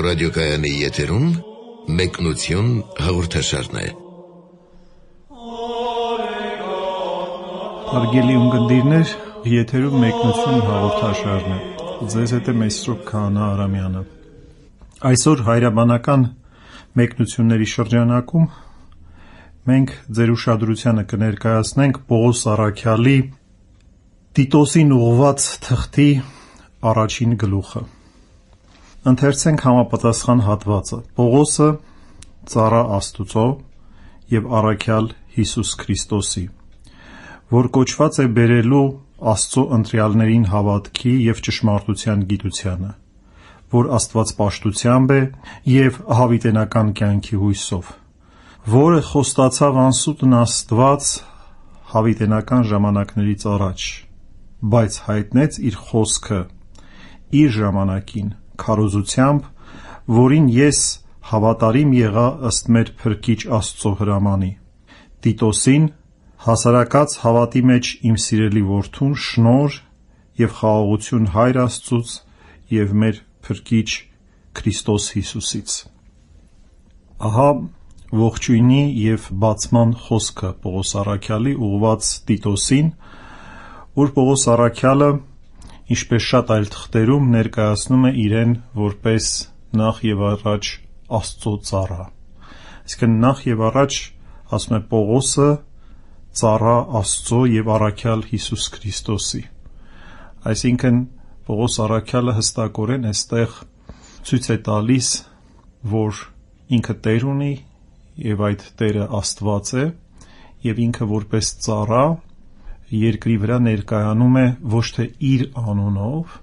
ռադիոկայանի եթերում մեկնություն հաղորդաշարն է։ Հարգելի ունկնդիրներ, եթերում մեկնություն հաղորդաշարն է։ Ձեզ հետ է Մեսրոպ Քահանա Արամյանը։ Այսօր հայրաբանական մեկնությունների շրջանակում մենք ձեր ուշադրությանը կներկայացնենք Պողոս Առաքյալի Տիտոսին ուղղված թղթի առաջին գլուխը։ Ընթերցենք համապատասխան հատվածը։ Պողոսը ծառա Աստուծո եւ առաքյալ Հիսուս Քրիստոսի, որ կոչված է բերելու Աստծո ընտրյալներին հավատքի եւ ճշմարտության գիտությանը, որ աստվածպաշտությամբ է եւ հավիտենական կյանքի հույսով, որը խոստացավ անսուտն Աստված հավիտենական ժամանակներից առաջ, բայց հայտնեց իր խոսքը իր ժամանակին քարոզությամբ, որին ես հավատարիմ եղա ըստ մեր Փրկիչ Աստծո հրամանի, Տիտոսին, հասարակած հավատի մեջ իմ սիրելի որդուն, շնորհ եւ խաղաղություն Հայր Աստծուց եւ մեր Փրկիչ Քրիստոս Հիսուսից։ Ահա ողջույնի եւ բացման խոսքը Պողոս Առաքյալի ուղղված Տիտոսին, որ Պողոս Առաքյալը ինչպես շատ այլ թղթերում ներկայացնում է իրեն որպես նախ եւ առաջ Աստծո ծառա։ Այսինքն նախ եւ առաջ ասում է Պողոսը ծառա Աստծո եւ առաքյալ Հիսուս Քրիստոսի։ Այսինքն Պողոս Առաքյալը հստակորեն այստեղ ցույց է տալիս, որ ինքը Տեր ունի եւ այդ Տերը Աստված է եւ ինքը որպես ծառա երկրի վրա ներկայանում է ոչ թե իր անունով,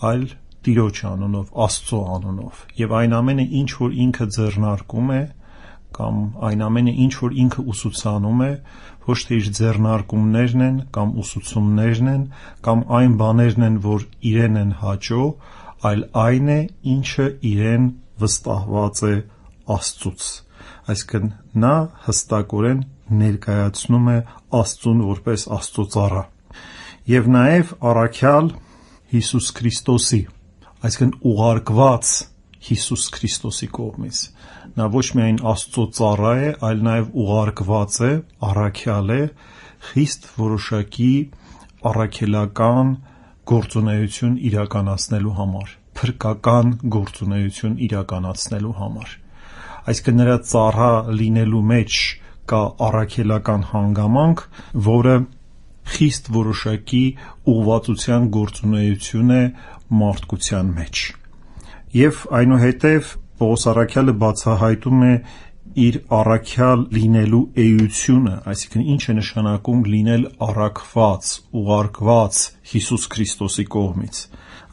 այլ Տիրոջ անունով, Աստծո անունով, եւ այն ամենը, ինչ որ ինքը ձեռնարկում է, կամ այն ամենը, ինչ որ ինքը ուսուցանում է, ոչ թե իր ձեռնարկումներն են կամ ուսուցումներն են, կամ այն բաներն են, որ իրեն են հաճո, այլ այն է, ինչը իրեն վստահված է Աստծուց։ Այսինքն նա հստակորեն ներկայացնում է Աստծուն որպես Աստծո ծառա եւ նաեւ առաքյալ Հիսուս Քրիստոսի, այսինքն ուղարկված Հիսուս Քրիստոսի կողմից։ Նա ոչ միայն Աստծո ծառա է, այլ նաեւ ուղարկված է, առաքյալ է խիստ որոշակի առաքելական գործունեություն իրականացնելու համար, փրկական գործունեություն իրականացնելու համար։ Այսինքն նրա ծառա լինելու մեջ կա առաքելական հանգամանք, որը խիստ որոշակի ուղղվածության գործունեություն է մարդկության մեջ։ Եվ այնուհետև Պողոս Առաքյալը բացահայտում է իր առաքյալ լինելու էությունը, այսինքն ինչ է նշանակում լինել առաքված, ուղարկված Հիսուս Քրիստոսի կողմից։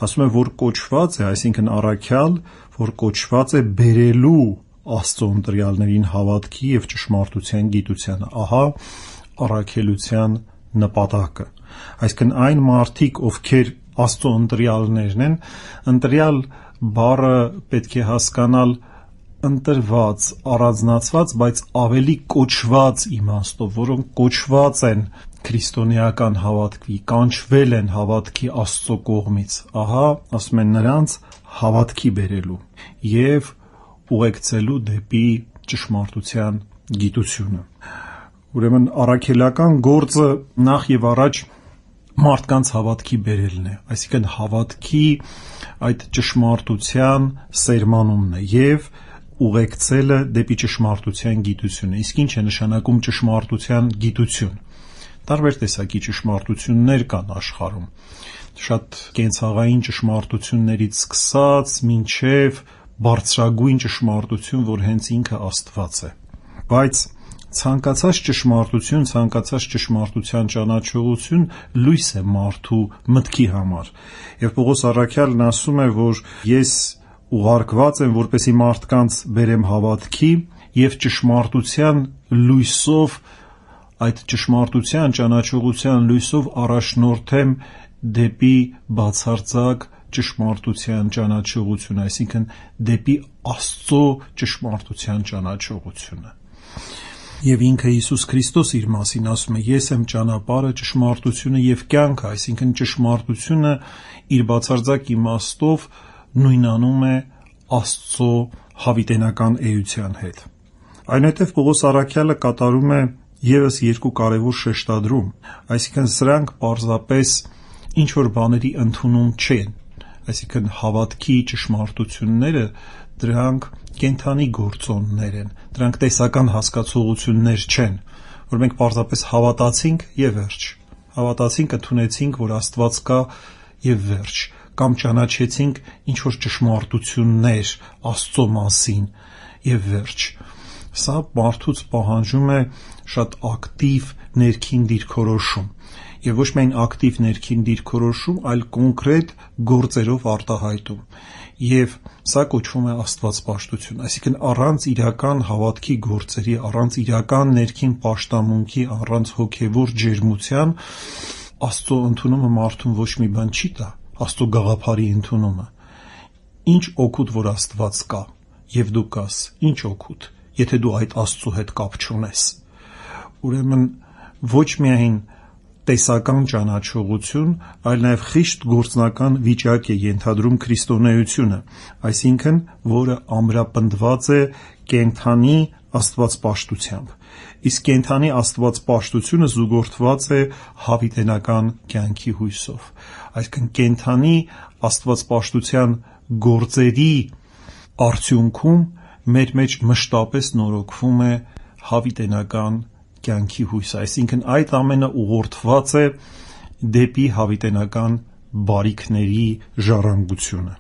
Ասում է, որ կոչված է, այսինքն առաքյալ, որ կոչված է բերելու Աստծո ընտրյալներին հավատքի եւ ճշմարտության գիտությանը։ Ահա առաքելության նպատակը։ Այսինքն այն մարդիկ, ովքեր Աստծո ընտրյալներն են, ընտրյալ բառը պետք է հասկանալ ընտրված, առանձնացված, բայց ավելի կոչված իմաստով, որոնք կոչված են քրիստոնեական հավատքի, կանչվել են հավատքի Աստծո կողմից։ Ահա, ասում են նրանց հավատքի բերելու եւ ուղեկցելու դեպի ճշմարտության գիտությունը։ Ուրեմն առաքելական գործը նախ եւ առաջ մարդկանց հավատքի բերելն է, այսինքն հավատքի այդ ճշմարտության սերմանումն է եւ ուղեկցելը դեպի ճշմարտության գիտությունը։ Իսկ ինչ է նշանակում ճշմարտության գիտություն։ Տարբեր տեսակի ճշմարտություններ կան աշխարհում։ Շատ կենցաղային ճշմարտություններից սկսած մինչեւ բարձրագույն ճշմարտություն, որ հենց ինքը Աստված է։ Բայց ցանկացած ճշմարտություն, ցանկացած ճշմարտության ճանաչողություն լույս է մարդու մտքի համար։ Եվ Պողոս Առաքյալն ասում է, որ ես ուղարկված եմ, որպեսզի մարդկանց բերեմ հավատքի եւ ճշմարտության լույսով, այդ ճշմարտության ճանաչողության լույսով առաջնորդեմ դեպի բացարձակ ճշմարտության ճանաչողություն, այսինքն դեպի Աստծո ճշմարտության ճանաչողությունը։ Եվ ինքը Հիսուս Քրիստոս իր մասին ասում է. ես եմ ճանապարհը, ճշմարտությունը եւ կյանքը, այսինքն ճշմարտությունը իր բացարձակ իմաստով նույնանում է Աստծո հավիտենական էության հետ։ Այնուհետև Պողոս առաքյալը կատարում է ևս երկու կարևոր շեշտադրում, այսինքն սրանք պարզապես ինչ որ բաների ընդունում չեն, այսինքն հավատքի ճշմարտությունները դրանք կենդանի գործոններ են, դրանք տեսական հասկացողություններ չեն, որ մենք պարզապես հավատացինք եւ վերջ, հավատացինք, ընդունեցինք, որ Աստված կա եւ վերջ, կամ ճանաչեցինք ինչ որ ճշմարտություններ Աստծո մասին եւ վերջ։ Սա մարդուց պահանջում է շատ ակտիվ ներքին դիրքորոշում եւ ոչ միայն ակտիվ ներքին դիրքորոշում, այլ կոնկրետ գործերով արտահայտում, եւ սա կոչվում է աստվածպաշտություն, այսինքն առանց իրական հավատքի գործերի, առանց իրական ներքին պաշտամունքի, առանց հոգեվոր ջերմության Աստծո ընդունումը մարդուն ոչ մի բան չի տա, Աստծո գաղափարի ընդունումը։ Ինչ օգուտ որ Աստված կա եւ դու կաս, ինչ օգուտ, եթե դու այդ Աստծո հետ կապ չունես։ Ուրեմն ոչ միայն տեսական ճանաչողություն, այլ նաև խիստ գործնական վիճակ է ենթադրում քրիստոնեությունը, այսինքն, որը ամրապնդված է կենդանի աստվածպաշտությամբ։ Իսկ կենդանի աստվածպաշտությունը զուգորդված է հավիտենական կյանքի հույսով։ Այսինքն կենդանի աստվածպաշտության գործերի արդյունքում մեր մեջ մշտապես նորոգվում է հավիտենական կյանքի հույսը, այսինքն այդ ամենը ուղղորդված է դեպի հավիտենական բարիքների ժառանգությունը։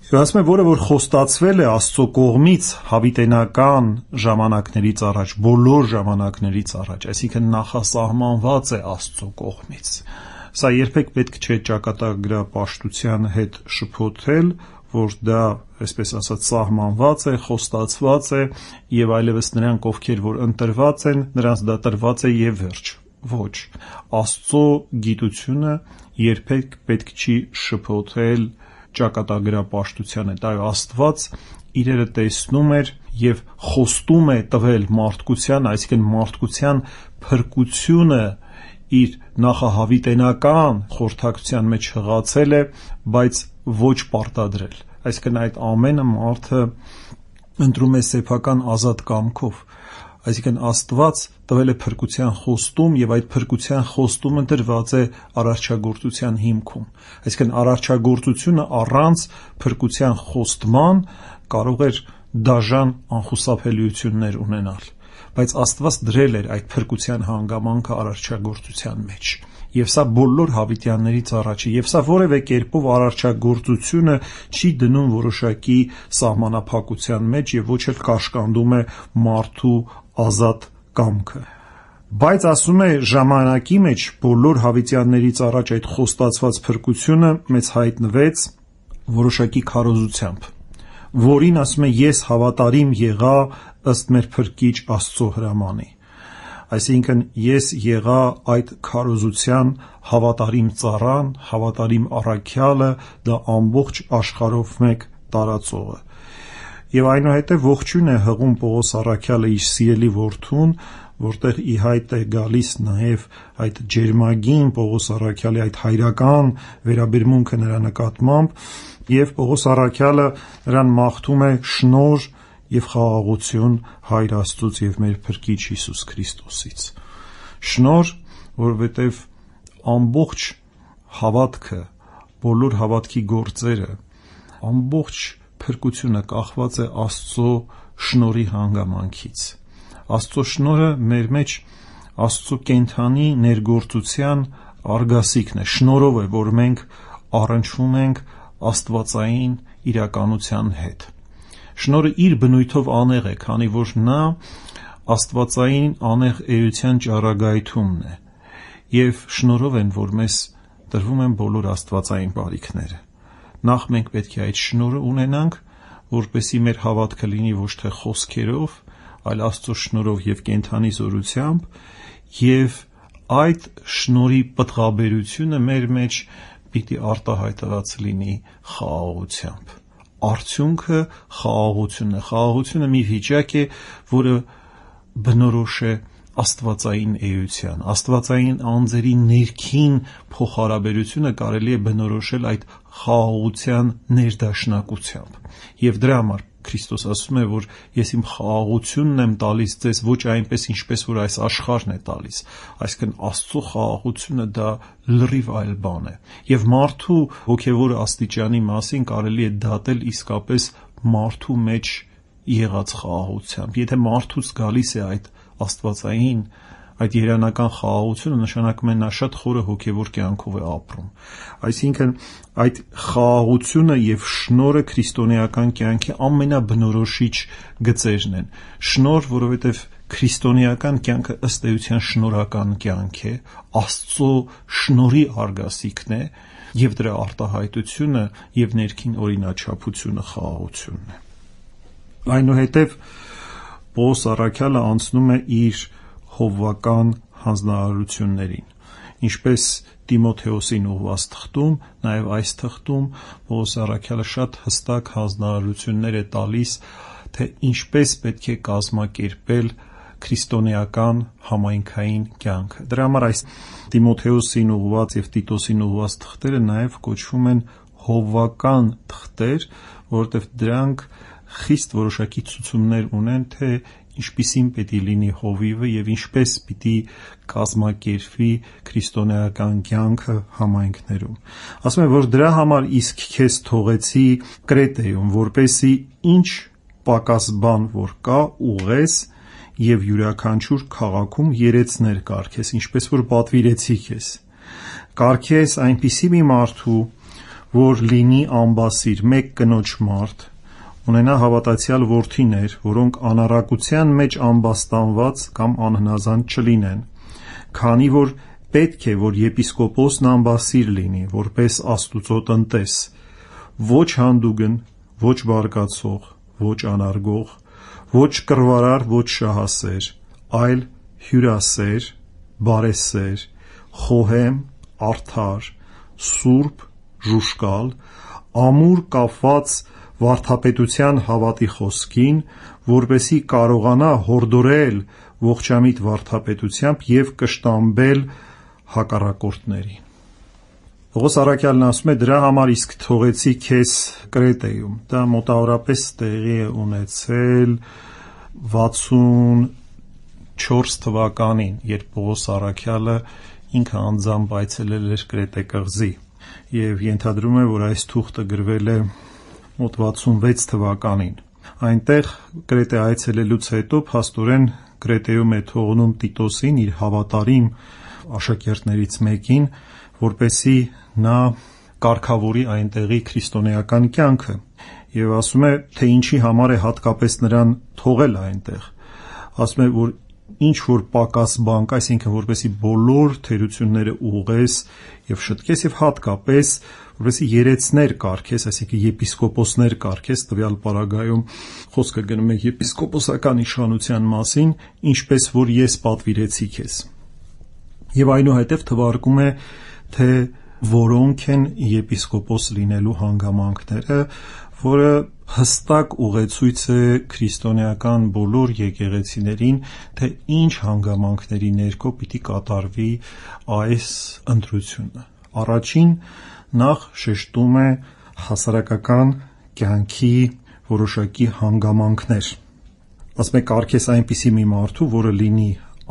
Եվ ասում է, որը որ խոստացվել է Աստծո կողմից հավիտենական ժամանակներից առաջ, բոլոր ժամանակներից առաջ, այսինքն նախասահմանված է Աստծո կողմից։ Սա երբեք պետք չէ ճակատագրապաշտության հետ շփոթել, որ դա, այսպես ասած, սահմանված է, խոստացված է եւ այլևս նրանք, ովքեր որ ընտրված են, նրանց դա տրված է եւ վերջ։ Ոչ, Աստծո գիտությունը երբեք պետք չի շփոթել ճակատագրապաշտության հետ։ Այո, Աստված իրերը տեսնում էր եւ խոստում է տվել մարդկության, այսինքն մարդկության փրկությունը իր նախահավիտենական խորհրդակցության մեջ հղացել է, բայց ոչ պարտադրել։ Այսինքն այդ ամենը մարդը ընտրում է սեփական ազատ կամքով։ Այսինքն Աստված տվել է փրկության խոստում եւ այդ փրկության խոստումը դրված է արարչագործության հիմքում։ Այսինքն արարչագործությունը առանց փրկության խոստման կարող էր դաժան անխուսափելիություններ ունենալ, բայց Աստված դրել էր այդ փրկության հանգամանքը արարչագործության մեջ։ Եվ սա բոլոր հավիտյաններից առաջ է, եւ սա որևէ կերպով արարչագործությունը չի դնում որոշակի սահմանափակության մեջ եւ ոչ էլ կաշկանդում է մարդու ազատ կամքը։ Բայց ասում է ժամանակի մեջ բոլոր հավիտյաններից առաջ այդ խոստացված փրկությունը մեզ հայտնվեց որոշակի քարոզությամբ, որին ասում է ես հավատարիմ եղա ըստ մեր փրկիչ Աստծո հրամանի։ Այսինքն ես եղա այդ քարոզության հավատարիմ ծառան, հավատարիմ առաքյալը, դա ամբողջ աշխարհով մեկ տարածողը։ Եվ այնուհետև ողջույն է հղում Պողոս առաքյալը իր սիրելի որդուն, որտեղ ի հայտ է գալիս նաև այդ ջերմագին Պողոս առաքյալի այդ հայրական վերաբերմունքը նրա նկատմամբ, եւ Պողոս առաքյալը նրան մաղթում է շնորհ եւ խաղաղություն Հայր Աստծուց եւ մեր Փրկիչ Հիսուս Քրիստոսից։ Շնորհ, որովհետեւ ամբողջ հավատքը, բոլոր հավատքի գործերը, ամբողջ փրկությունը կախված է Աստծո շնորհի հանգամանքից։ Աստծո շնորհը մեր մեջ Աստծո կենդանի ներգործության արգասիքն է, շնորհով է, որ մենք առնչվում ենք աստվածային իրականության հետ։ Շնորհը իր բնույթով անեղ է, քանի որ նա աստվածային անեղ էության ճառագայթումն է, եւ շնորհով են, որ մեզ տրվում են բոլոր աստվածային բարիքները։ Նախ մենք պետք է այդ շնորհը ունենանք, որպեսզի մեր հավատքը լինի ոչ թե խոսքերով, այլ Աստծո շնորհով եւ կենդանի զորությամբ, եւ այդ շնորհի պտղաբերությունը մեր մեջ պիտի արտահայտված լինի խաղաղությամբ։ Արդյունքը խաղաղությունն է։ Խաղաղությունը մի վիճակ է, որը բնորոշ է աստվածային էության, աստվածային անձերի ներքին փոխհարաբերությունը կարելի է բնորոշել այդ խաղաղության ներդաշնակությամբ։ Եվ դրա համար Քրիստոս ասում է, որ ես իմ խաղաղությունն եմ տալիս ձեզ, ոչ այնպես, ինչպես որ այս աշխարհն է տալիս։ Այսինքն Աստծո խաղաղությունը դա լրիվ այլ բան է։ Եվ մարդու հոգևոր աստիճանի մասին կարելի է դատել իսկապես մարդու մեջ եղած խաղաղությամբ։ Եթե մարդուց գալիս է այդ աստվածային, այդ երանական խաղաղությունը, նշանակում է նա շատ խորը հոգևոր կյանքով է ապրում։ Այսինքն այդ խաղաղությունը եւ շնորհը քրիստոնեական կյանքի ամենաբնորոշիչ գծերն են։ Շնորհ, որովհետեւ քրիստոնեական կյանքը ըստ էության շնորհական կյանք է, Աստծո շնորհի արգասիքն է, եւ դրա արտահայտությունը եւ ներքին օրինաչափությունը խաղաղությունն է։ Այնուհետև Պողոս առաքյալը անցնում է իր հովվական հանձնարարություններին, ինչպես Տիմոթեոսին ուղված թղթում, նաև այս թղթում Պողոս առաքյալը շատ հստակ հանձնարարություններ է տալիս, թե ինչպես պետք է կազմակերպել քրիստոնեական համայնքային կյանքը։ Դրա համար այս Տիմոթեոսին ուղված եւ Տիտոսին ուղված թղթերը նաև կոչվում են հովվական թղթեր, որովհետեւ դրանք խիստ որոշակի ցուցումներ ունեն, թե ինչպիսին պետք է լինի հովիվը եւ ինչպես պիտի կազմակերպվի քրիստոնեական կյանքը համայնքներում։ Ասում է, որ դրա համար իսկ քեզ թողեցի Կրետեում, որպեսի ինչ պակաս բան որ կա ուղես եւ յուրաքանչյուր քաղաքում երեցներ կարգես, ինչպես որ պատվիրեցի քեզ։ Կարգես այնպիսի մի մարդու, որ լինի ամբասիր, մեկ կնոջ մարդ, ունենա հավատացյալ որդիներ, որոնք անառակության մեջ ամբաստանված կամ անհնազանդ չլինեն, քանի որ պետք է, որ եպիսկոպոսն ամբասիր լինի, որպես Աստուծո տնտես, ոչ հանդուգն, ոչ բարկացող, ոչ անարգող, ոչ կռվարար, ոչ շահասեր, այլ հյուրասեր, բարեսեր, խոհեմ, արդար, սուրբ, ժուշկալ, ամուր կապված վարդապետության հավատի խոսքին, որպեսի կարողանա հորդորել ողջամիտ վարդապետությամբ եւ կշտամբել հակառակորդներին։ Պողոս առաքյալն ասում է, դրա համար իսկ թողեցի քեզ Կրետեում։ Դա մոտավորապես տեղի է ունեցել 64 թվականին, երբ Պողոս առաքյալը ինքը անձամբ այցելել էր Կրետե կղզի, եւ ենթադրում է, որ այս թուղթը գրվել է մոտ 66 թվականին։ Այնտեղ Կրետե այցելելուց հետո փաստորեն Կրետեում է թողնում Տիտոսին, իր հավատարիմ աշակերտներից մեկին, որպեսի նա կարգավորի այնտեղի քրիստոնեական կյանքը, եւ ասում է, թե ինչի համար է հատկապես նրան թողել այնտեղ։ Ասում է, որ ինչ որ պակաս բան կա, այսինքն որպեսի բոլոր թերությունները ուղես եւ շտկես եւ հատկապես որպեսի երեցներ կարգես, այսինքն եպիսկոպոսներ կարգես, տվյալ պարագայում խոսքը գնում է եպիսկոպոսական իշխանության մասին, ինչպես որ ես պատվիրեցի քեզ։ Եվ այնուհետև թվարկում է, թե որոնք են եպիսկոպոս լինելու հանգամանքները, որը հստակ ուղեցույց է քրիստոնեական բոլոր եկեղեցիներին, թե ինչ հանգամանքների ներքո պիտի կատարվի այս ընտրությունը։ Առաջին նախ շեշտում է հասարակական կյանքի որոշակի հանգամանքներ։ Ասում է, կարգես այնպիսի մի մարդու, որը լինի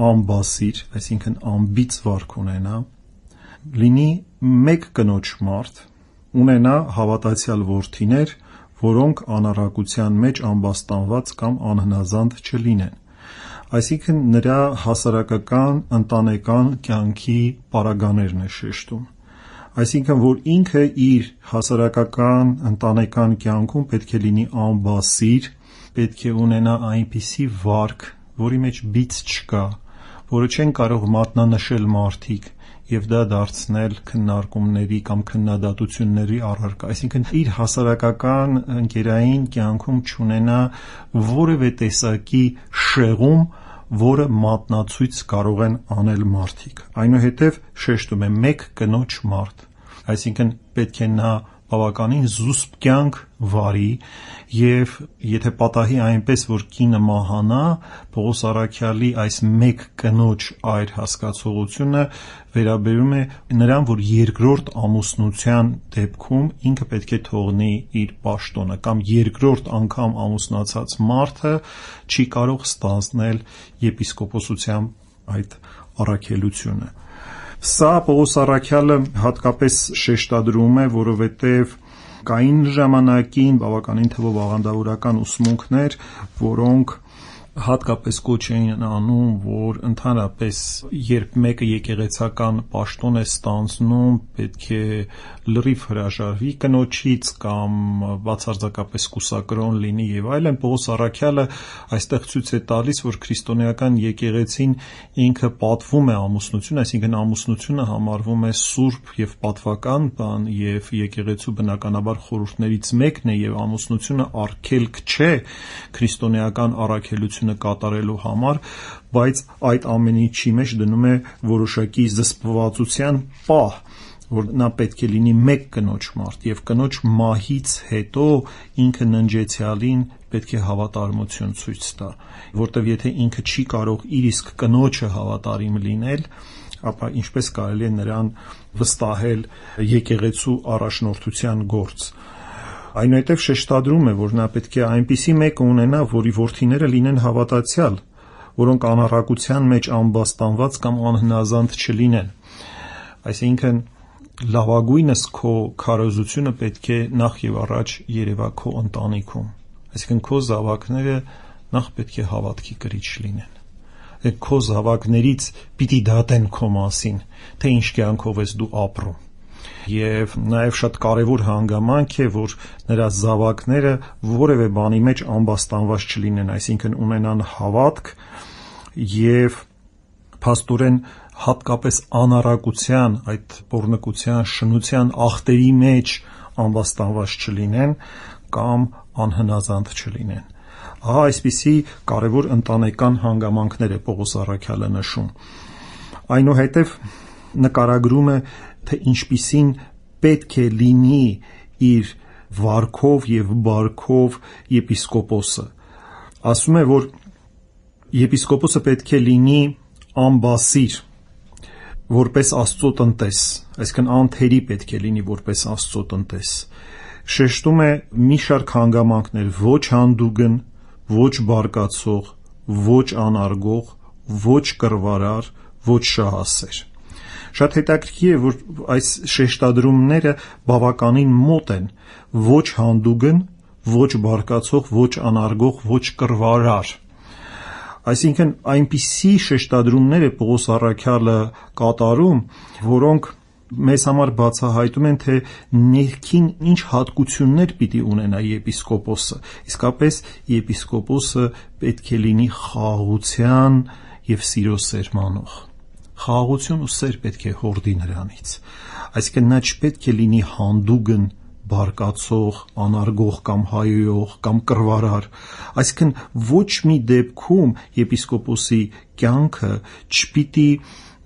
ամբասիր, այսինքն ամբից վարք ունենա, լինի մեկ կնոջ մարդ, ունենա հավատացյալ որդիներ, որոնք անառակության մեջ ամբաստանված կամ անհնազանդ չլինեն։ Այսինքն նրա հասարակական, ընտանեկան կյանքի պարագաներն է շեշտում։ Այսինքն, որ ինքը իր հասարակական, ընտանեկան կյանքում պետք է լինի ամբասիր, պետք է ունենա այնպիսի վարք, որի մեջ բիծ չկա, որը չեն կարող մատնանշել մարդիկ եւ դա դարձնել քննարկումների կամ քննադատությունների առարկա, այսինքն իր հասարակական ընկերային կյանքում չունենա որևէ տեսակի շեղում, որը մատնացույց կարող են անել մարդիկ։ Այնուհետև շեշտում է մեկ կնոջ մարդ, այսինքն պետք է նա բավականին զուսպ կյանք վարի, եւ եթե պատահի այնպես, որ կինը մահանա, Պողոս առաքյալի այս մեկ կնոջ այր հասկացողությունը վերաբերում է նրան, որ երկրորդ ամուսնության դեպքում ինքը պետք է թողնի իր պաշտոնը, կամ երկրորդ անգամ ամուսնացած մարդը չի կարող ստանձնել եպիսկոպոսության այդ առաքելությունը։ Սա Պողոս առաքյալը հատկապես շեշտադրում է, որովհետև կային ժամանակին բավականին թվով աղանդավորական ուսմունքներ, որոնք հատկապես կոչ էին անում, որ ընդհանրապես երբ մեկը եկեղեցական պաշտոն է ստանձնում, պետք է լրիվ հրաժարվի կնոջից կամ բացարձակապես կուսակրոն լինի եւ այլն։ Պողոս առաքյալը այստեղ ցույց է տալիս, որ քրիստոնեական եկեղեցին ինքը պատվում է ամուսնություն, այսինքն ամուսնությունը համարվում է սուրբ եւ պատվական բան եւ եկեղեցու բնականաբար խորհուրդներից մեկն է եւ ամուսնությունը արգելք չէ քրիստոնեական առաքելություն կատարելու համար, բայց այդ ամեն ինչի մեջ դնում է որոշակի զսպվածության պահ, որ նա պետք է լինի մեկ կնոջ մարդ եւ կնոջ մահից հետո ինքը ննջեցյալին պետք է հավատարմություն ցույց տա, որտեվ եթե ինքը չի կարող իր իսկ կնոջը հավատարիմ լինել, ապա ինչպես կարելի է նրան վստահել եկեղեցու առաջնորդության գործ։ Այնուհետև շեշտադրում է, որ նա պետք է այնպիսի մեկը ունենա, որի որդիները լինեն հավատացյալ, որոնք անառակության մեջ ամբաստանված կամ անհնազանդ չլինեն։ Այսինքն լավագույնս քո քարոզությունը պետք է նախ եւ առաջ երևա քո ընտանիքում, այսինքն քո զավակները նախ պետք է հավատքի կրիչ լինեն, քո զավակներից պիտի դատեն քո մասին, թե ինչ կյանքով ես դու ապրում, եւ նաեւ շատ կարեւոր հանգամանք է, որ նրա զավակները որևէ բանի մեջ ամբաստանված չլինեն, այսինքն ունենան հավատք եւ փաստորեն հատկապես անառակության, այդ պոռնկության, շնության ախտերի մեջ ամբաստանված չլինեն կամ անհնազանդ չլինեն։ Ահա այսպիսի կարևոր ընտանեկան հանգամանքներ է Պողոս առաքյալը նշում։ Այնուհետև նկարագրում է, թե ինչպիսին պետք է լինի իր վարքով եւ բարքով եպիսկոպոսը։ Ասում է, որ եպիսկոպոսը պետք է լինի ամբասիր, որպես Աստծո տնտես, այսինքն անթերի պետք է լինի որպես Աստծո տնտես։ Շեշտում է մի շարք հանգամանքներ՝ ոչ հանդուգն, ոչ բարկացող, ոչ անարգող, ոչ կռվարար, ոչ շահասեր։ Շատ հետաքրքիր է, որ այս շեշտադրումները բավականին մոտ են՝ ոչ հանդուգն, ոչ բարկացող, ոչ անարգող, ոչ կռվարար։ Այսինքն այնպիսի շեշտադրումներ է Պողոս առաքյալը կատարում, որոնք մեզ համար բացահայտում են, թե ներքին ինչ հատկություններ պիտի ունենա եպիսկոպոսը։ Իսկապես եպիսկոպոսը պետք է լինի խաղաղության եւ սիրո սերմանող։ Խաղաղություն ու սեր պետք է հորդի նրանից, այսինքն նա չպետք է լինի հանդուգն, բարկացող, անարգող կամ հայոյող կամ կռվարար, այսինքն ոչ մի դեպքում եպիսկոպոսի կյանքը չպիտի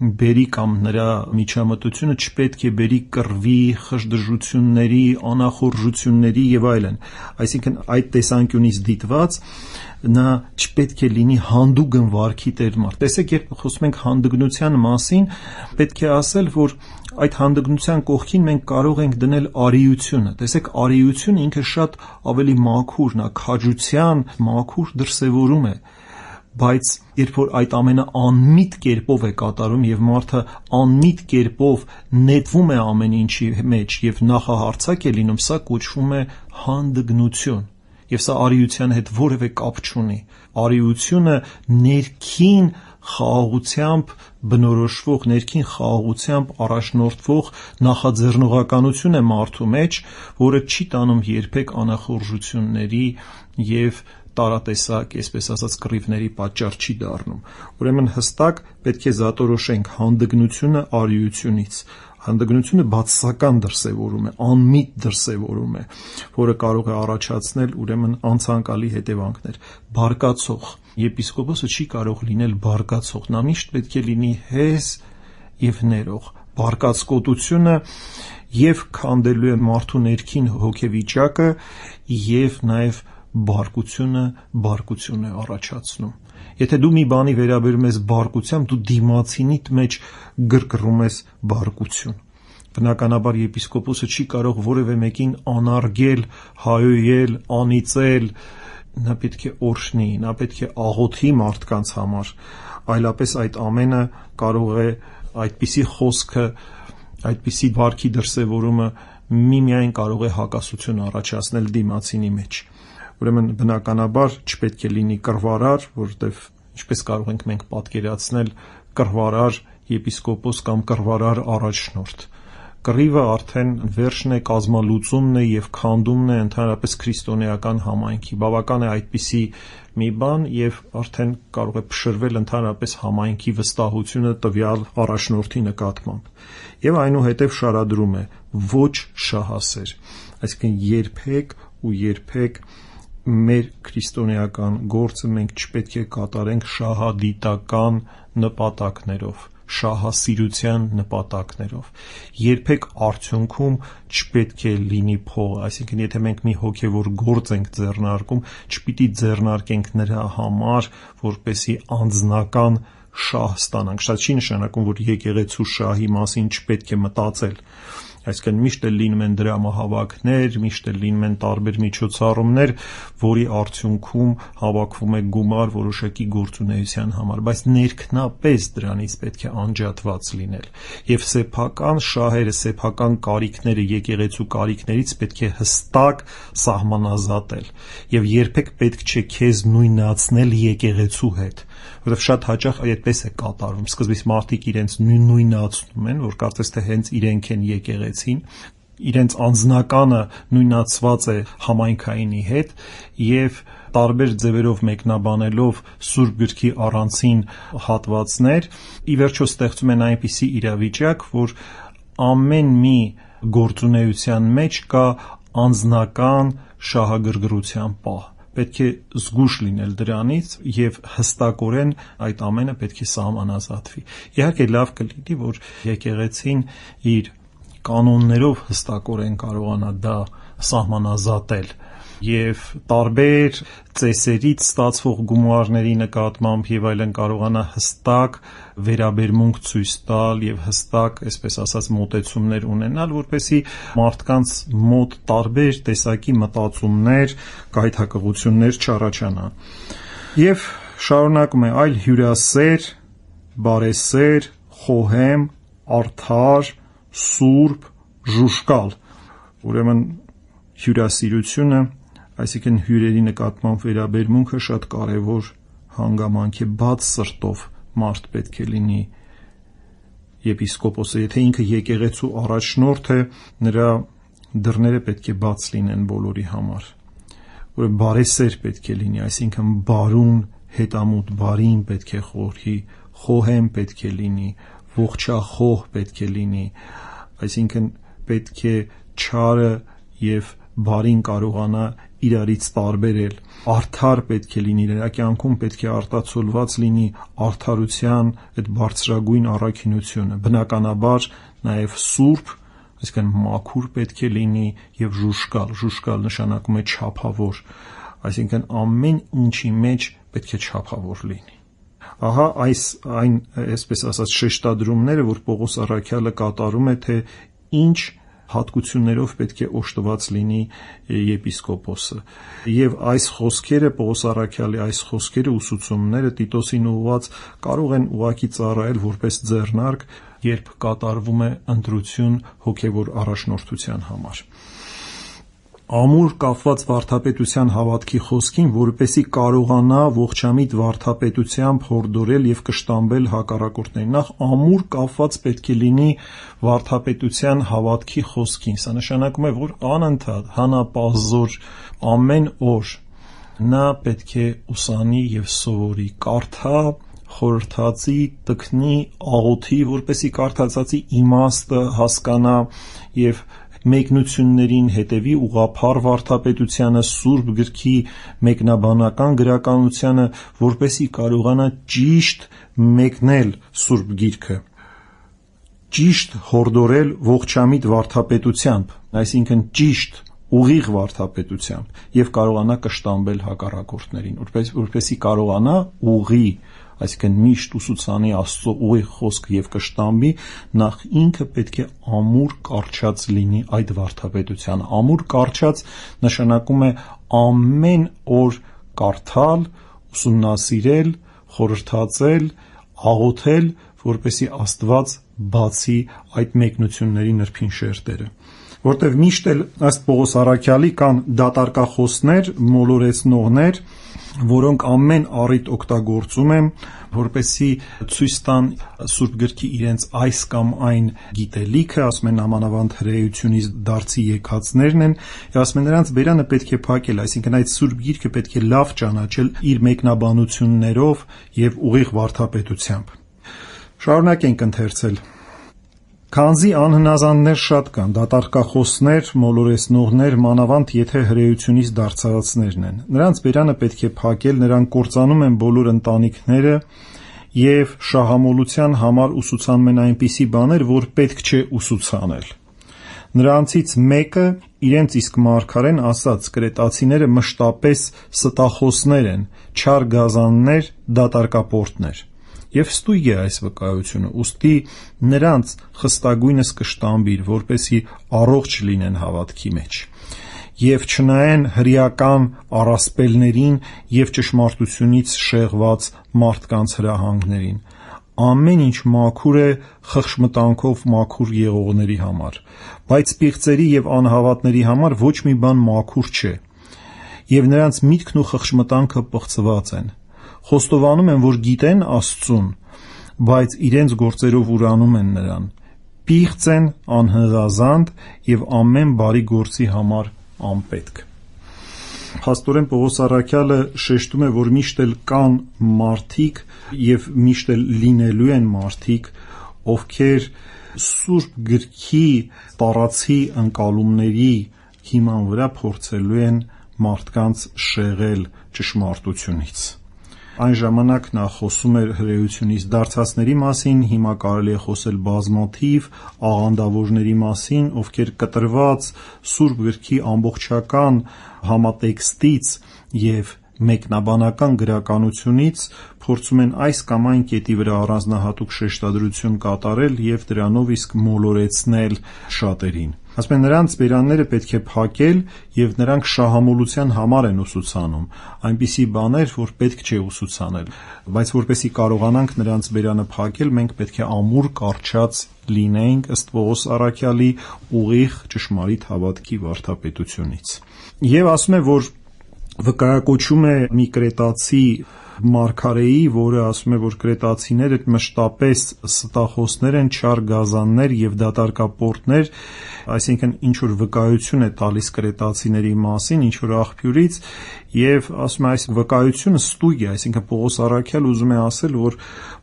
բերի կամ նրա միջամտությունը չպետք է բերի կռվի, խժդժությունների, անախորժությունների եւ այլն, այսինքն այդ տեսանկյունից դիտված նա չպետք է լինի հանդուգն վարքի տեր մարդ։ Տեսեք, երբ խոսում ենք հանդգնության մասին, պետք է ասել, որ այդ հանդգնության կողքին մենք կարող ենք դնել արիությունը։ Տեսեք, արիությունը ինքը շատ ավելի մաքուր, նա քաջության մաքուր դրսևորում է, բայց երբ որ այդ ամենը անմիտ կերպով է կատարում եւ մարդը անմիտ կերպով նետվում է ամեն ինչի մեջ եւ նախահարցակ է լինում, սա կոչվում է հանդգնություն։ Եվ սա արիության հետ որևէ կապ չունի։ Արիությունը ներքին խաղաղությամբ բնորոշվող, ներքին խաղաղությամբ առաջնորդվող նախաձեռնողականություն է մարդու մեջ, որը չի տանում երբեք անախորժությունների եւ տարատեսակ, այսպես ասած, կռիվների պատճառ չի դառնում։ Ուրեմն հստակ պետք է զատորոշենք հանդգնությունը արիությունից։ Հանդգնությունը բացասական դրսևորում է, անմիտ դրսևորում է, որը կարող է առաջացնել ուրեմն անցանկալի հետևանքներ։ Բարկացող եպիսկոպոսը չի կարող լինել բարկացող, նա միշտ պետք է լինի հեզ եւ ներող։ բարկացկոտությունը եւ քանդելու է մարդու ներքին հոգեվիճակը եւ նաեւ բարկություն է առաջացնում։ Եթե դու մի բանի վերաբերում ես բարկությամբ, դու դիմացինիդ մեջ գրգռում ես բարկություն։ Բնականաբար եպիսկոպոսը չի կարող որևէ մեկին անարգել, հայոյել, անիծել, նա պետք է օրհնի, նա պետք է աղոթի մարդկանց համար, այլապես այդ ամենը կարող է այդպիսի խոսքը, այդպիսի վարքի դրսևորումը միմիայն կարող է հակասություն առաջացնել դիմացինի մեջ։ Ուրեմն բնականաբար չպետք է լինի կռվարար, որովհետև ինչպես կարող ենք մենք պատկերացնել կռվարար եպիսկոպոս կամ կռվարար առաջնորդ։ Կռիվը արդեն վերջն է, կազմալուծումն է եւ քանդումն է ընդհանրապես քրիստոնեական համայնքի։ Բավական է այդպիսի մի բան եւ արդեն կարող է փշրվել ընդհանրապես համայնքի վստահությունը տվյալ առաջնորդի նկատմամբ։ Եվ այնուհետև շարադրում է ոչ շահասեր, այսինքն երբեք մեր քրիստոնեական գործը մենք չպետք է կատարենք շահադիտական նպատակներով, շահասիրության նպատակներով։ Երբեք արդյունքում չպետք է լինի փող, այսինքն եթե մենք մի հոգևոր գործ ենք ձեռնարկում, չպիտի ձեռնարկենք նրա համար, որպեսզի անձնական շահ ստանանք։ Շատ չի նշանակում, որ եկեղեցու շահի մասին չպետք է մտածել։ Այսինքն միշտ էլ լինում են դրամահավաքներ, միշտ էլ լինում են տարբեր միջոցառումներ, որի արդյունքում հավաքվում է գումար որոշակի գործունեության համար, բայց ներքնապես դրանից պետք է անջատված լինել։ Եվ սեփական շահերը, սեփական կարիքները եկեղեցու կարիքներից պետք է հստակ սահմանազատել։ Եվ երբեք պետք չէ քեզ նույնացնել եկեղեցու հետ, որովհետև շատ հաճախ այդպես է կատարվում։ Սկզբից մարդիկ իրենց նույնացնում են, որ կարծես թե հենց իրենք են եկեղեցին, իրենց անձնականը նույնացված է համայնքայինի հետ եւ տարբեր ձևերով մեկնաբանելով Սուրբ Գրքի առանցին հատվածներ, ի վերջո ստեղծում են այնպիսի իրավիճակ, որ ամեն մի գործունեության մեջ կա անձնական շահագրգռության պահ։ Պետք է զգույշ լինել դրանից եւ հստակորեն այդ ամենը պետք է սահմանազատվի։ Իհարկե լավ կլինի, որ եկեղեցին իր կանոններով հստակորեն կարողանա դա սահմանազատել եւ տարբեր ծեսերից ստացվող գումարների նկատմամբ եւ այլն կարողանա հստակ վերաբերմունք ցույց տալ եւ հստակ, այսպես ասած, մոտեցումներ ունենալ, որպեսզի մարդկանց մոտ տարբեր տեսակի մտածումներ, գայթակղություններ չառաջանան։ Եվ շարունակում է այլ հյուրասեր, բարեսեր, խոհեմ, արդար, սուրբ, ժուժկալ։ Ուրեմն հյուրասիրությունը, այսինքն հյուրերի նկատմամբ վերաբերմունքը շատ կարևոր հանգամանք է, բաց սրտով մարդ պետք է լինի եպիսկոպոսը, եթե ինքը եկեղեցու առաջնորդ է, նրա դռները պետք է բաց լինեն բոլորի համար։ Որ բարեսեր պետք է լինի, այսինքն բարուն, հետամուտ բարին պետք է խորհի, խոհեմ պետք է լինի, ողջախոհ պետք է լինի, այսինքն պետք է չարը եւ բարին կարողանա իրարից տարբերել, արդար պետք է լինի, նրա կյանքում պետք է արտացոլված լինի արդարության այդ բարձրագույն առաքինությունը, բնականաբար նաև սուրբ, այսինքն մաքուր պետք է լինի եւ ժուժկալ նշանակում է չափավոր, այսինքն ամեն ինչի մեջ պետք է չափավոր լինի։ Ահա այն այսպես ասած շեշտադրումները, որ Պողոս առաքյալը կատարում է, թե ինչ հատկություններով պետք է օժտված լինի եպիսկոպոսը։ Եվ այս խոսքերը, Պողոս առաքյալի այս խոսքերը, ուսուցումները Տիտոսին ուղղված կարող են ուղղակի ծառայել որպես ձեռնարկ, երբ կատարվում է ընտրություն հոգևոր առաջնորդության համար։ Ամուր կապված վարդապետության հավատքի խոսքին, որպեսզի կարողանա ողջամիտ վարդապետությամբ հորդորել եւ կշտամբել հակառակորդներին, նախ ամուր կապված պետք է լինի վարդապետության հավատքի խոսքին։ Սա նշանակում է, որ անընդհատ, հանապազոր, ամեն օր նա պետք է ուսանի եւ սովորի, կարդա, խորհրդածի, տքնի, աղոթի, որպեսզի կարդացածի իմաստը հասկանա եւ մեկնություններին հետևի, ուղղափառ վարդապետությանը, Սուրբ Գրքի մեկնաբանական գրականությանը, որպեսզի կարողանա ճիշտ մեկնել Սուրբ Գիրքը։ ճիշտ հորդորել ողջամիտ վարդապետությամբ, այսինքն ճիշտ ուղիղ վարդապետությամբ եւ կարողանա կշտամբել հակառակորդներին, որպեսզի կարողանա ուղի, այսինքն միշտ ուսուցանի Աստծո ուղիղ խոսքը եւ կշտամբի, նախ ինքը պետք է ամուր կարճած լինի այդ վարդապետությանը։ Ամուր կարճած նշանակում է ամեն օր կարդալ, ուսումնասիրել, խորհրդածել, աղոթել, որպեսզի Աստված բացի այդ մեկնությունների նրբին շերտերը, որտեղ միշտ էլ ըստ Պողոս առաքյալի կան դատարկախոսներ, մոլորեցնողներ, որոնք ամեն առիթ օգտագործում են, որպեսզի ցույց տան Սուրբ գրքի իրենց այս կամ այն գիտելիքը, ասում են ամանավանդ հրեությունից դարձի եկածներն են, եւ ասում են նրանց բերանը պետք է փակել, այսինքն այդ Սուրբ գիրքը պետք է լավ ճանաչել իր մեկնաբանություններով եւ ուղիղ վարդապետությամբ։ Շարունակենք ընթերցել։ Քանզի անհնազանդներ շատ կան, դատարկախոսներ, մոլորեցնողներ, մանավանդ եթե հրեությունից դարձածներն են։ Նրանց բերանը պետք է փակել, նրանք կործանում են բոլոր ընտանիքները եւ շահամոլության համար ուսուցանում են այնպիսի բաներ, որ պետք չէ ուսուցանել։ Նրանցից մեկը իրենց իսկ մարգարեն ասաց. կրետացիները մշտապես ստախոսներ են, չար գազաններ, դատարկապորտներ։ Եվ ստույգ է այս վկայությունը, ուստի նրանց խստագույնս կշտամբիր, որպեսզի առողջ լինեն հավատքի մեջ, եւ չնայեն հրեական առասպելներին եւ ճշմարտությունից շեղված մարդկանց հրահանգներին։ Ամեն ինչ մաքուր է խղճմտանքով մաքուր եղողների համար, բայց պիղծերի եւ անհավատների համար ոչ մի բան մաքուր չէ, եւ նրանց միտքն ու խղճմտանքը պղծված են։ Խոստովանում են, որ գիտեն Աստծուն, բայց իրենց գործերով ուրանում են նրան։ Պիղծ են, անհնազանդ եւ ամեն բարի գործի համար անպետք։ Փաստորեն Պողոս առաքյալը շեշտում է, որ միշտ էլ կան մարդիկ եւ միշտ էլ լինելու են մարդիկ, ովքեր Սուրբ գրքի տարածի ընկալումների հիման վրա փորձելու են մարդկանց շեղել ճշմարտությունից։ Այն ժամանակ նա խոսում էր հրեությունից դարձածների մասին, հիմա կարելի է խոսել բազմաթիվ աղանդավորների մասին, ովքեր կտրված Սուրբ գրքի ամբողջական համատեքստից եւ մեկնաբանական գրականությունից փորձում են այս կամ այն կետի վրա առանձնահատուկ շեշտադրություն կատարել եւ դրանով իսկ մոլորեցնել շատերին։ Ասում են նրանց բերանները պետք է փակել եւ նրանք շահամոլության համար են ուսուցանում, այնպիսի բաներ, որ պետք չէ ուսուցանել, բայց որպեսզի կարողանանք նրանց բերանը փակել, մենք պետք է ամուր կարճած լինենք ըստ Պողոս առաքյալի ուղիղ ճշմարիտ հավատքի վարդապետությունից։ Եվ ասում է, որ վկայակոչում է մի կրետացի մարգարեի, որը ասում է, որ կրետացիները մշտապես ստախոսներ են, չար գազաններ եւ դատարկապորտներ, այսինքն ինչ որ վկայություն է տալիս կրետացիների մասին, ինչ որ աղբյուրից, եւ ասում է այս վկայությունը ստույգ է, այսինքն Պողոս առաքյալը ուզում է ասել, որ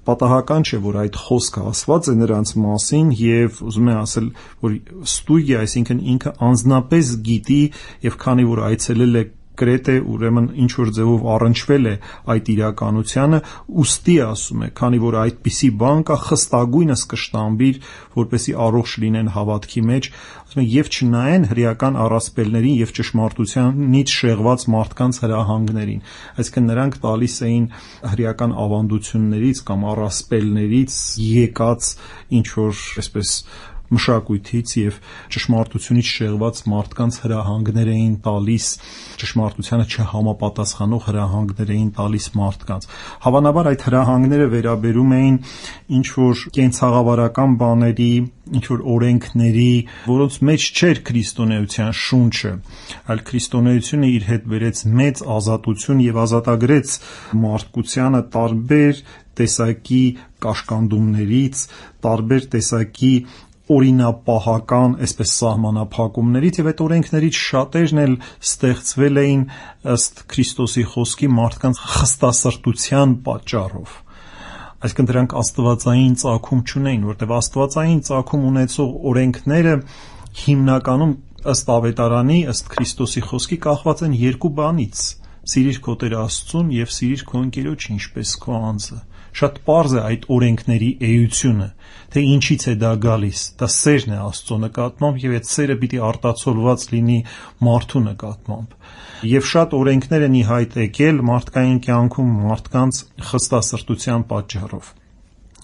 պատահական չէ, որ այդ խոսքը ասված է նրանց մասին եւ ուզում է ասել, որ ստույգ է, այսինքն ինքը անձնապես գիտի եւ քանի որ այցելել է Կրետ է, ուրեմն ինչ որ ձևով առնչվել է այդ իրականությանը, ուստի ասում է, քանի որ այդպիսի բան կա, խստագույնս կշտամբիր, որպեսզի առողջ լինեն հավատքի մեջ, ասում է, եւ չնայեն հրեական առասպելներին եւ ճշմարտությանից շեղված մարդկանց հրահանգներին, այսինքն նրանք տալիս էին հրեական ավանդություններից կամ առասպելներից եկած ինչ որ այսպես մշակույթից եւ ճշմարտությունից շեղված մարդկանց հրահանգներ էին տալիս, ճշմարտությանը չհամապատասխանող հրահանգներ էին տալիս մարդկանց։ Հավանաբար այդ հրահանգները վերաբերում էին ինչ որ կենցաղավարական բաների, ինչ որ օրենքների, որոնց մեջ չէր քրիստոնեության շունչը, այլ քրիստոնեությունը իր հետ բերեց մեծ ազատություն եւ ազատագրեց մարդկությանը տարբեր տեսակի կաշկանդումներից, տարբեր տեսակի օրինապահական, այսպես սահմանափակումներից եւ այդ օրենքներից շատերն էլ ստեղծվել էին ըստ Քրիստոսի խոսքի մարդկանց խստասրտության պատճառով։ Այսինքն դրանք աստվածային ծագում չունեին, որտեղ աստվածային ծագում ունեցող օրենքները հիմնականում ըստ ավետարանի, ըստ Քրիստոսի խոսքի կախված են երկու բանից՝ սիրիր քո Տեր Աստծուն եւ սիրիր քո ընկերոջը ինչպես քո անձը։ Շատ պարզ է այդ օրենքների էությունը, թե ինչից է դա գալիս, դա սերն է Աստծո նկատմամբ եւ այդ սերը պիտի արտացոլված լինի մարդու նկատմամբ։ Եվ շատ օրենքներ են ի հայտ եկել մարդկային կյանքում մարդկանց խստասրտության պատճառով։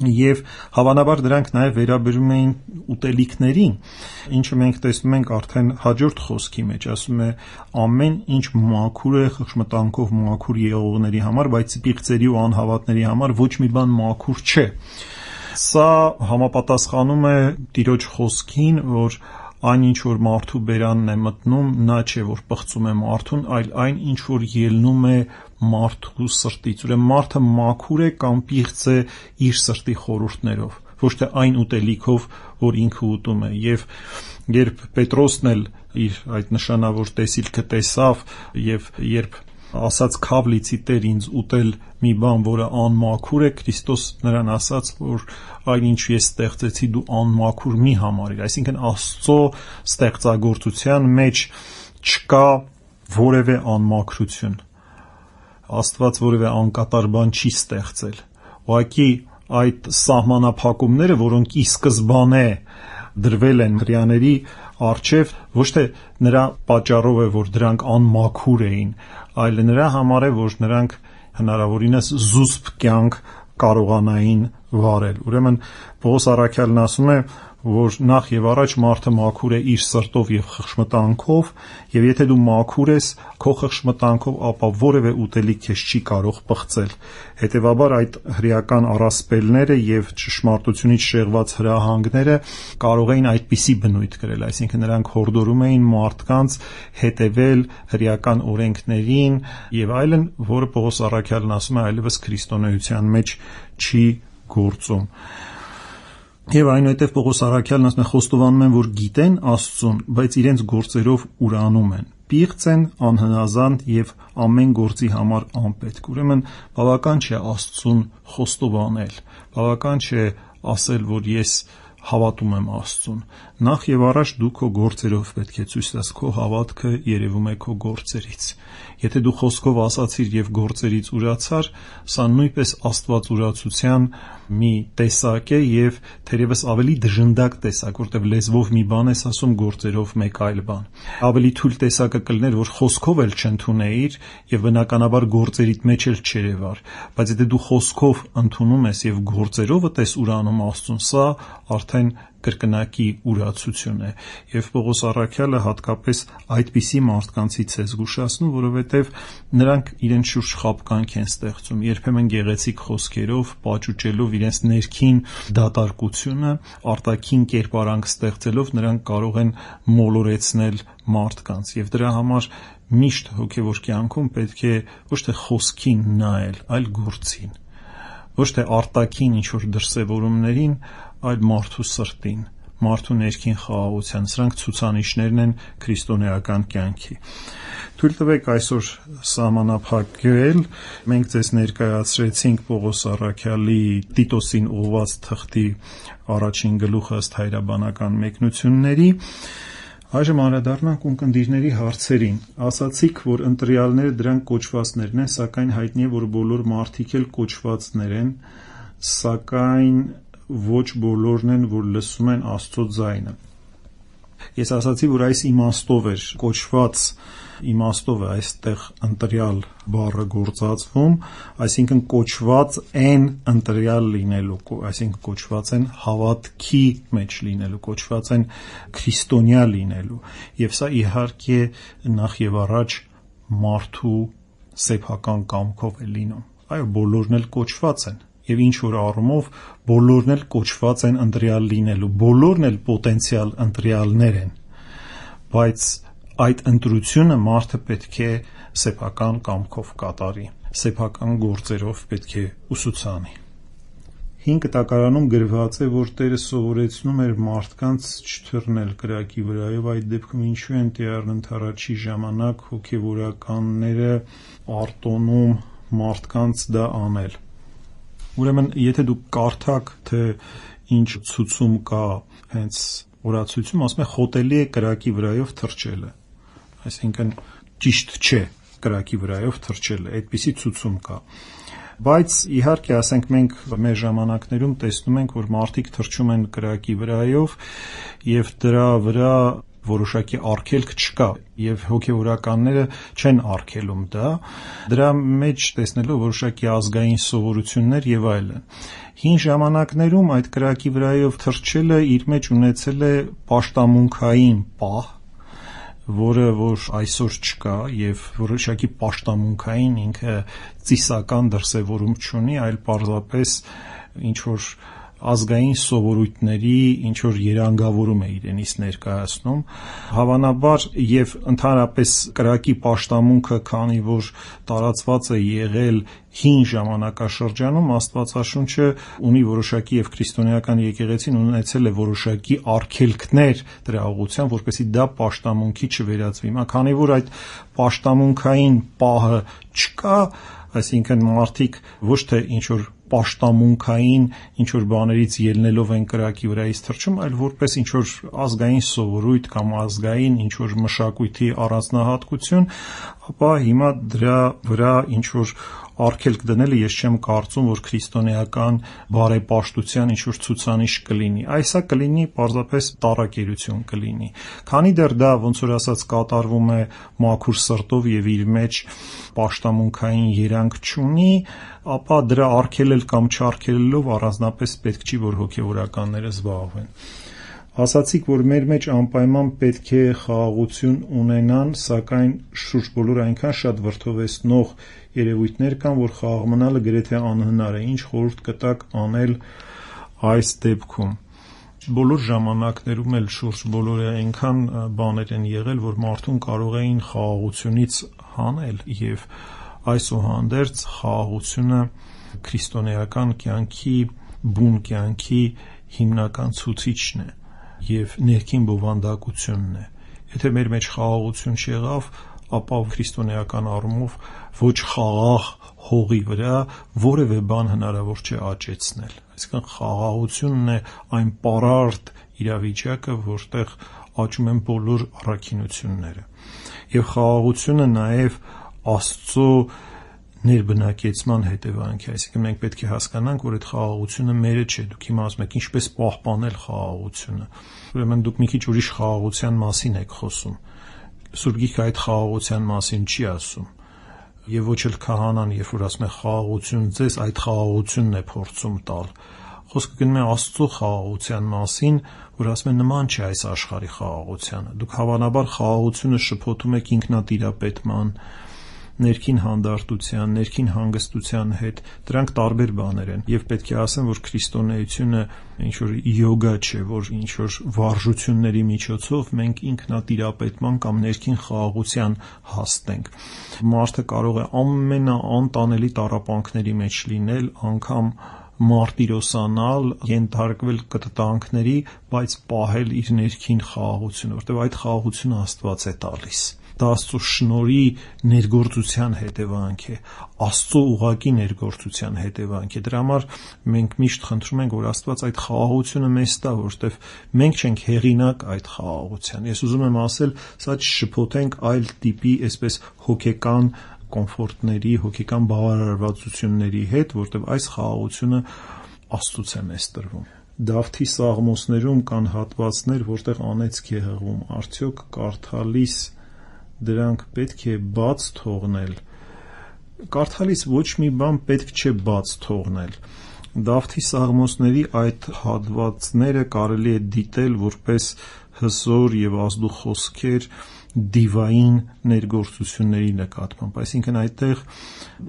Եվ հավանաբար դրանք նաև վերաբերում էին ուտելիքներին, ինչը մենք տեսնում ենք արդեն հաջորդ խոսքի մեջ, ասում է ամեն ինչ մաքուր է խշմտանքով մաքուր եղողների համար, բայց պիղծերի ու անհավատների համար ոչ մի բան մաքուր չէ։ Սա համապատասխանում է Տիրոջ խոսքին, որ այն ինչ որ մարդու բերանն է մտնում, նա չէ որ պղծում է մարդուն, այլ այն ինչ որ ելնում է մարդու սրտից։ Ուրեմն մարդը մաքուր է կամ պիղծ է իր սրտի խորհուրդներով, ոչ թե այն ուտելիքով, որ ինքը ուտում է։ Եվ երբ Պետրոսն էլ իր այդ նշանավոր տեսիլքը տեսավ եւ երբ ասաց «Քավլիցի Տեր ինձ ուտել մի բան, որը անմաքուր է», Քրիստոս նրան ասաց, որ այն ինչ ես ստեղծեցի դու անմաքուր մի համարիր։ Այսինքն Աստծո ստեղծագործության մեջ չկա որևէ անմաքրություն։ Աստված որևէ անկատար բան չի ստեղծել։ Ուղղակի այդ սահմանափակումները, որոնք ի սկզբանե դրվել են հրեաների առջև, ոչ թե նրա պատճառով է, որ դրանք անմաքուր էին, այլ նրա համար է, որ նրանք հնարավորինս զուսպ կյանք կարողանային վարել։ Ուրեմն Պողոս առաքյալն ասում է, որ նախ եւ առաջ մարդը մաքուր է իր սրտով եւ խշմտանքով, եւ եթե դու մաքուր ես քո խշմտանքով, ապա որևէ ուտելիք քեզ չի կարող պղծել։ Հետևաբար այդ հրեական առասպելները եւ ճշմարտությունից շեղված հրահանգները կարող էին այդպիսի բնույթ կրել, այսինքն նրանք հորդորում էին մարդկանց հետևել հրեական օրենքներին եւ այլն, որը Պողոս առաքյալն ասում է այլևս քրիստոնեության մեջ չի գործում։ Եվ այնուհետև Պողոս առաքյալն ասում է խոստովանում են, որ գիտեն Աստծուն, բայց իրենց գործերով ուրանում են, պիղծ են, անհնազանդ եւ ամեն գործի համար անպետք։ Ուրեմն բավական չէ Աստծուն խոստովանել, բավական չէ ասել, որ ես հավատում եմ Աստծուն։ Նախ եւ առաջ դու քո գործերով պետք է ցույց տաս, քո հավատքը երևում է քո գործերից։ Եթե դու խոսքով ասացիր եւ գործերից ուրացար, սա նույնպես աստվածուրացության մի տեսակ է եւ թերևս ավելի դժնդակ տեսակ, որտեղ լեզվով մի բան ես ասում, գործերով մեկ այլ բան։ Ավելի թույլ տեսակը կլներ, որ խոսքով էլ չընդունեիր եւ բնականաբար գործերիդ մեջ էլ չերևար, բայց եթե դու խոսքով ընդունում ես եւ գործերով ես ուրանում Աստծուն, սա արդեն կրկնակի ուրացություն է։ Եվ Պողոս առաքյալը հատկապես այդպիսի մարդկանցից է զգուշացնում, որովհետև նրանք իրենց շուրջ խաբկանք են ստեղծում, երբեմն գեղեցիկ խոսքերով, պաճուճելով իրենց ներքին դատարկությունը, արտաքին կերպարանք ստեղծելով նրանք կարող են մոլորեցնել մարդկանց, եւ դրա համար միշտ հոգեվոր կյանքում պետք է ոչ թե խոսքին նայել, այլ գործին, ոչ թե արտաքին ինչ որ դրսևորումներին, այլ մարդու սրտին, մարդու ներքին խաղաղության։ Սրանք ցուցանիշներն են քրիստոնեական կյանքի։ Թույլ տվեք այսօր սահմանափակել, մենք ձեզ ներկայացրեցինք Պողոս առաքյալի Տիտոսին ուղղված թղթի առաջին գլուխը ըստ հայրաբանական մեկնությունների։ Այժմ անդրադառնանք ունկնդիրների հարցերին։ Ասացիք, որ ընտրյալները դրանք կոչվածներն են, սակայն հայտնի է, որ բոլոր մարդիկ էլ կոչվածներ են, սակայն ոչ բոլորն են, որ լսում են Աստծո ձայնը։ Ես ասացի, որ այս իմաստով էր կոչված իմաստով է այստեղ ընտրյալ բառը գործածվում, այսինքն կոչված են ընտրյալ լինելու, այսինքն կոչված են հավատքի մեջ լինելու, կոչված են քրիստոնյա լինելու, եւ սա իհարկե նախ եւ առաջ մարդու սեփական կամքով է լինում։ Այո, բոլորն էլ կոչված են, եւ ինչ որ առումով բոլորն էլ կոչված են ընտրյալ լինելու, բոլորն էլ պոտենցիալ ընտրյալներ են, բայց այդ ընտրությունը մարդը պետք է սեփական կամքով կատարի, սեփական գործերով պետք է ուսուցանի։ 5 տակարանում գրված է, որ Տերը սովորեցնում էր մարդկանց չթռնել կրակի վրայով, այդ դեպքում ինչու են տիառն ընթառաջի ժամանակ հոգևորականները արտոնում մարդկանց դա անել։ Ուրեմն, եթե դուք կարդաք, թե ինչ ցուցում կա հենց օրացույցում, ասում է խոտելի է կրակի վրայով թռչելը, այսինքն ճիշտ չէ կրակի վրայով թռչելը, այդպիսի ցուցում կա։ Բայց իհարկե, ասենք մենք մեր ժամանակներում տեսնում ենք, որ մարդիկ թռչում են կրակի վրայով եւ դրա վրա որոշակի արգելք չկա եւ հոգեվորականները չեն արգելում դրա մեջ տեսնելով որոշակի ազգային սովորություններ եւ այլն։ Հին ժամանակներում այդ կրակի վրայով թռչելը իր մեջ ունեցել է պաշտամունքային պահ, որը որ այսօր չկա եւ որոշակի պաշտամունքային ինքը ծիսական դրսևորում չունի, այլ պարզապես ինչ որ ազգային սովորույթների ինչ որ երանգավորում է իրենից ներկայացնում, հավանաբար եւ ընդհանրապես կրակի պաշտամունքը, քանի որ տարածված է եղել հին ժամանակաշրջանում, Աստվածաշունչը ունի որոշակի եւ քրիստոնեական եկեղեցին ունեցել է որոշակի արգելքներ դրա ուղղությամբ, որպեսզի դա պաշտամունքի չվերածվի։ Քանի որ այդ պաշտամունքային պահը չկա, այսինքն մարդիկ ոչ թե ինչ որ պաշտամունքային ինչ որ բաներից ելնելով են կրակի վրայից թռչում, այլ որպես ինչ որ ազգային սովորույթ կամ ազգային ինչ որ մշակույթի առանձնահատկություն, ապա հիմա դրա վրա ինչ որ արգելք դնելը ես չեմ կարծում, որ քրիստոնեական բարեպաշտության ինչ որ ցուցանիշ կլինի։ Այսա կլինի պարզապես տարակերություն կլինի։ Քանի դեռ դա ոնց որ ասած կատարվում է մաքուր սրտով եւ իր մեջ պաշտամունքային երանգ չունի, ապա դրա արգելել կամ չարգելելով առանձնապես պետք չի, որ հոգեվորականները զբաղվեն։ Ասացիք, որ մեր մեջ անպայման պետք է խաղաղություն ունենան, սակայն շուրջ բոլոր այնքան շատ վրդովեցնող երևույթներ կան, որ խաղաղ մնալը գրեթե անհնար է։ Ինչ խորհուրդ կտաք անել այս դեպքում։ Բոլոր ժամանակներում էլ շուրջ բոլորը այնքան բաներ են եղել, որ մարդուն կարող էին խաղաղությունից հանել եւ այսուհանդերձ խաղաղությունը քրիստոնեական կյանքի, բուն կյանքի հիմնական ցուցիչն է եւ ներքին բովանդակությունն է։ Եթե մեր մեջ խաղաղություն չեղավ, ապա քրիստոնեական առումով ոչ խաղաղ հողի վրա որևէ բան հնարավոր չէ աճեցնել։ Այսինքն խաղաղությունն է այն պարարտ իրավիճակը, որտեղ աճում են բոլոր առաքինությունները։ Եվ խաղաղությունը նաեւ Աստծո ներբնակեցման հետևանք է, այսինքն մենք պետք է հասկանանք, որ այդ խաղաղությունը մերը չէ։ Դուք հիմա ասում եք ինչպես պահպանել խաղաղությունը։ Ուրեմն դուք մի քիչ ուրիշ խաղաղության մասին եք խոսում։ Սուրբ Գիրքը այդ խաղաղության մասին չի ասում։ Եվ ոչ էլ քահանան, երբ որ ասում է խաղաղություն ձեզ, այդ խաղաղությունն է փորձում տալ։ Խոսքը գնում է Աստծո խաղաղության մասին, որ ասում է նման չէ այս աշխարհի խաղաղությանը։ Դուք հավանաբար խաղաղությունը շփոթում եք ինքնատիրապետման, ներքին հանդարտության, ներքին հանգստության հետ, դրանք տարբեր բաներ են եւ պետք է ասեմ, որ քրիստոնեությունը ինչ որ յոգա չէ, որ ինչ որ վարժությունների միջոցով մենք ինքնատիրապետման կամ ներքին խաղաղության հասնենք։ Մարդը կարող է ամենաանտանելի տառապանքների մեջ լինել, անգամ մարտիրոսանալ, ենթարկվել կտտանքների, բայց պահել իր ներքին խաղաղությունը, որտեղ այդ խաղաղությունը Աստված է տալիս։ Դա Աստծո շնորհի ներգործության հետևանք է, Աստծո ուղղակի ներգործության հետևանք է։ Դրա համար մենք միշտ խնդրում ենք, որ Աստված այդ խաղաղությունը մեզ տա, որովհետև մենք չենք հեղինակ այդ խաղաղության։ Ես ուզում եմ ասել, սա չշփոթենք այլ տիպի, այսպես հոգեկան կոմֆորտների, հոգեկան բավարարվածությունների հետ, որովհետև այս խաղաղությունը Աստծուց է մեզ տրվում։ Դավթի սաղմոսներում կան հատվածներ, որտեղ անեծք է հղում, արդյոք կարդալիս դրանք պետք է բաց թողնել։ Կարդալիս ոչ մի բան պետք չէ բաց թողնել։ Դավթի սաղմոսների այդ հատվածները կարելի է դիտել որպես հզոր եւ ազդու խոսքեր դիվային ներգործությունների նկատմամբ, այսինքն այդտեղ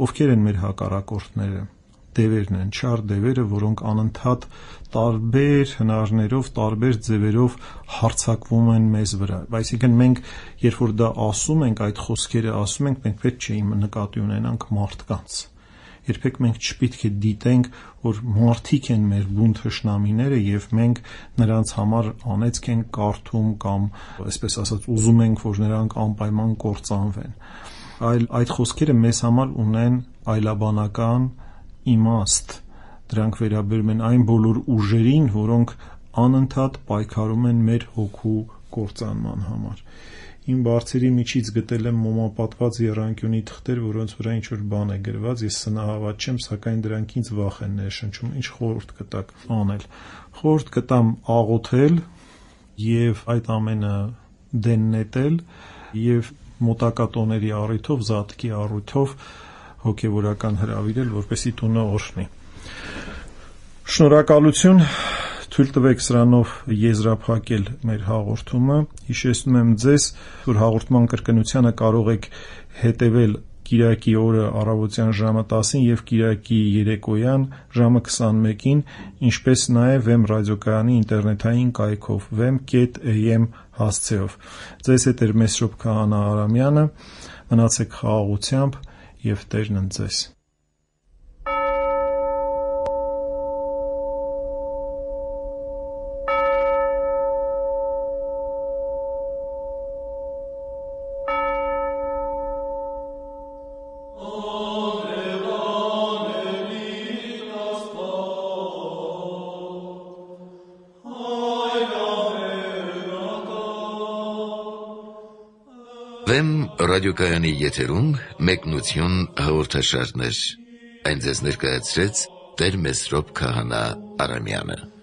ովքեր են մեր հակառակորդները, դևերն են, չար դևերը, որոնք անընդհատ տարբեր հնարներով, տարբեր ձևերով հարձակվում են մեզ վրա։ Այսինքն մենք, երբ որ դա ասում ենք, այդ խոսքերը ասում ենք, մենք պետք չէ նկատի ունենանք մարդկանց։ Երբեք մենք չպետք է դիտենք, որ մարդիկ են մեր բուն թշնամիները եւ մենք նրանց համար անեծք ենք կարդում կամ, այսպես ասած, ուզում ենք, որ նրանք անպայման կործանվեն։ Այլ այդ խոսքերը մեզ համար ունեն այլաբանական իմաստ, դրանք վերաբերում են այն բոլոր ուժերին, որոնք անընդհատ պայքարում են մեր հոգու կործանման համար։ Իմ բարձերի միջից գտել եմ մոմապատված եռանկյունի թղթեր, որոնց վրա ինչ-որ բան է գրված, ես սնահավատ չեմ, սակայն դրանք ինձ վախ են ներշնչում, ինչ խորհուրդ կտաք անել։ Խորհուրդ կտամ աղոթել եւ այդ ամենը դեն նետել եւ մոտակա տոների առիթով, զատկի առիթով հոգեվորական հրավիրել, որպեսզի տունը օրհնի։ Շնորհակալություն, թույլ տվեք սրանով եզրափակել մեր հաղորդումը։ Հիշեցնում եմ ձեզ, որ հաղորդման կրկնությանը կարող եք հետևել Կիրակի օրը առավոտյան ժամը 10-ին եւ Կիրակի երեկոյան ժամը 21-ին, ինչպես նաեւ Վեմ ռադիոկայանի ինտերնետային կայքով vem.am հասցեով։ Ձեզ հետ էր Մեսրոպ Քահանա Արամյանը, մնացեք խաղաղությամբ եւ Տերն ընդ ձեզ։ Վեմ ռադիոկայանի եթերում մեկնություն հաղորդաշարներ։ Այն ձեզ ներկայացրեց Տեր Մեսրոպ Քահանա Արամյանը։